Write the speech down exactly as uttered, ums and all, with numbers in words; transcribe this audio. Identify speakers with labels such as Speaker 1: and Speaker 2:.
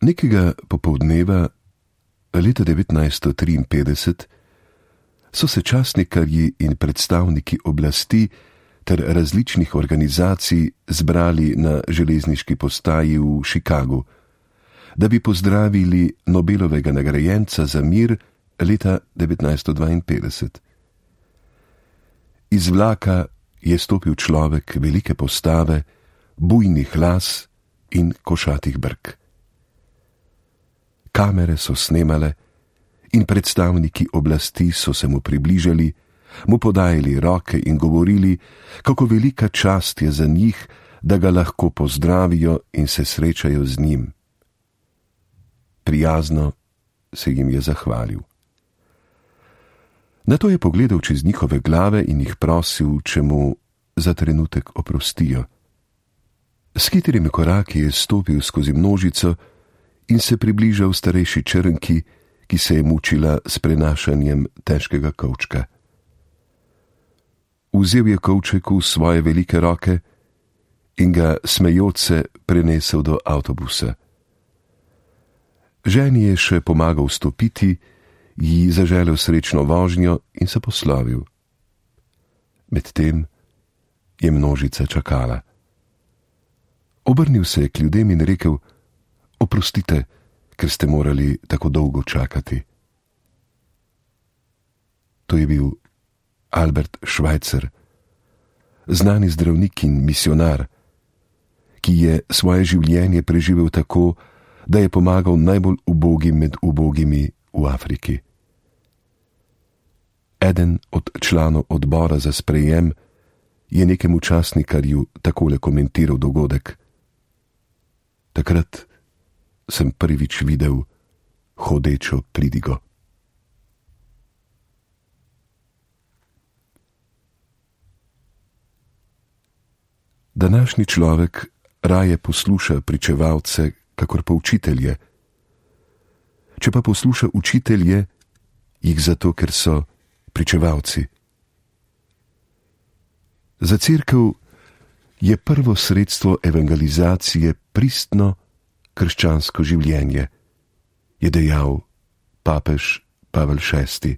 Speaker 1: Nekega popoldneva leta devetnajststo triinpetdeset so se časnikarji in predstavniki oblasti ter različnih organizacij zbrali na železniški postaji v Chicagu, da bi pozdravili Nobelovega nagrajenca za mir leta devetnajststo dvainpetdeset. Iz vlaka je stopil človek velike postave, bujnih las in košatih brk. Kamere so snemale in predstavniki oblasti so se mu približali, mu podajali roke in govorili, kako velika čast je za njih, da ga lahko pozdravijo in se srečajo z njim. Prijazno se jim je zahvalil. Nato je pogledal čez njihove glave in jih prosil, če mu za trenutek oprostijo. S hitrimi koraki je stopil skozi množico in se približal starejši črnki, ki se je mučila s prenašanjem težkega kovčka. Vzel je kovček v svoje velike roke in ga smejoč se prenesel do avtobusa. Ženi je še pomagal stopiti, ji zaželel srečno vožnjo in se poslovil. Medtem je množica čakala. Obrnil se je k ljudem in rekel: oprostite, ker ste morali tako dolgo čakati. To je bil Albert Schweitzer, znani zdravnik in misionar, ki je svoje življenje preživel tako, da je pomagal najbolj ubogim med ubogimi v Afriki. Eden od članov odbora za sprejem je nekemu časnikarju takole komentiral dogodek: takrat sem prvič videl hodečo pridigo. Današnji človek raje posluša pričevalce, kakor pa učitelje. Če pa posluša učitelje, jih zato, ker so pričevalci. Za cerkev je prvo sredstvo evangelizacije pristno krščansko življenje, je dejal papež Pavel šesti.